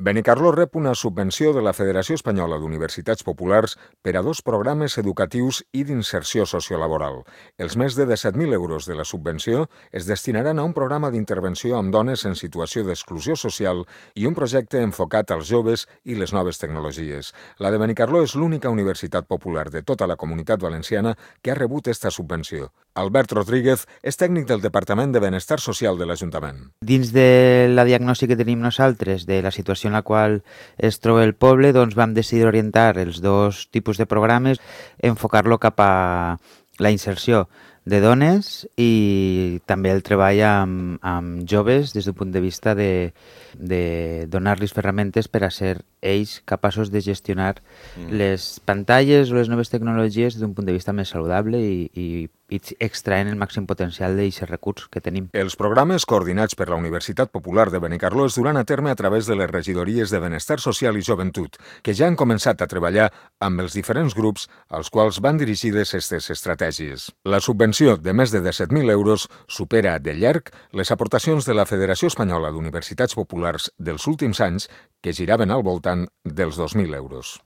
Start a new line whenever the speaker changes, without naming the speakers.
Benicarló rep una subvenció de la Federació Espanyola d'Universitats Populars per a 2 programes educatius i d'inserció sociolaboral. Els més de 17.000 euros de la subvenció es destinaran a un programa d'intervenció amb dones en situació d'exclusió social i un projecte enfocat als joves i les noves tecnologies. La de Benicarló és l'única universitat popular de tota la Comunitat Valenciana que ha rebut esta subvenció. Albert Rodríguez és tècnic del Departament de Benestar Social de l'Ajuntament.
Dins de la diagnosi que tenim nosaltres de la situació en la qual es troba el poble, doncs vam decidir orientar els 2 tipus de programes, enfocar-lo cap a la inserció de dones i també el treball amb joves des d'un punt de vista de donar-los ferramentes per a ser ells capaços de gestionar les pantalles o les noves tecnologies d'un punt de vista més saludable i extraient el màxim potencial d'aquests recursos que tenim.
Els programes coordinats per la Universitat Popular de Benicarló es duran a terme a través de les regidories de Benestar Social i Joventut, que ja han començat a treballar amb els diferents grups als quals van dirigides aquestes estratègies. La subvenció de més de 17.000 euros supera de llarg les aportacions de la Federació Espanyola d'Universitats Populars dels últims anys, que giraven al voltant dels 2.000 euros.